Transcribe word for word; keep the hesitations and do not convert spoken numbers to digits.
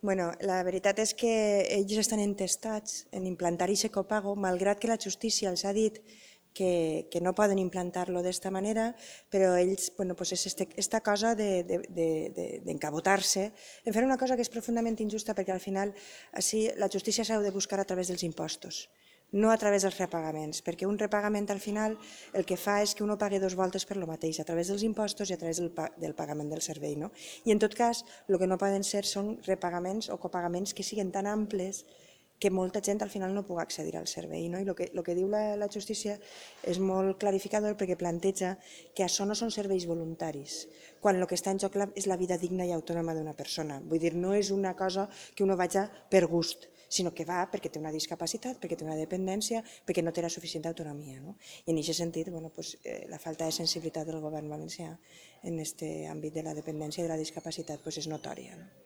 Bueno, la veritat és que ells estan entestats en implantar aquest copago, malgrat que la justícia els ha dit que, que no poden implantar-lo d'esta manera, però ells, bueno, pues és este, esta cosa d'encabotar-se de, de, de, en fer una cosa que és profundament injusta, perquè al final així, la justícia s'ha de buscar a través dels impostos, no a través dels repagaments, perquè un repagament al final el que fa és que uno pagui dos voltes per lo mateix, a través dels impostos i a través del, del pagament del servei. No? I en tot cas, el que no poden ser són repagaments o copagaments que siguin tan amples que molta gent al final no pugui accedir al servei. No? I el que, el que diu la, la justícia és molt clarificador perquè planteja que això no són serveis voluntaris, quan el que està en joc és la vida digna i autònoma d'una persona. Vull dir, no és una cosa que uno vagi per gust, sinó que va perquè té una discapacitat, perquè té una dependència, perquè no té la suficient autonomia. No? I en aquest sentit, bueno, pues, eh, la falta de sensibilitat del govern valencià en aquest àmbit de la dependència i de la discapacitat pues, és notòria. No?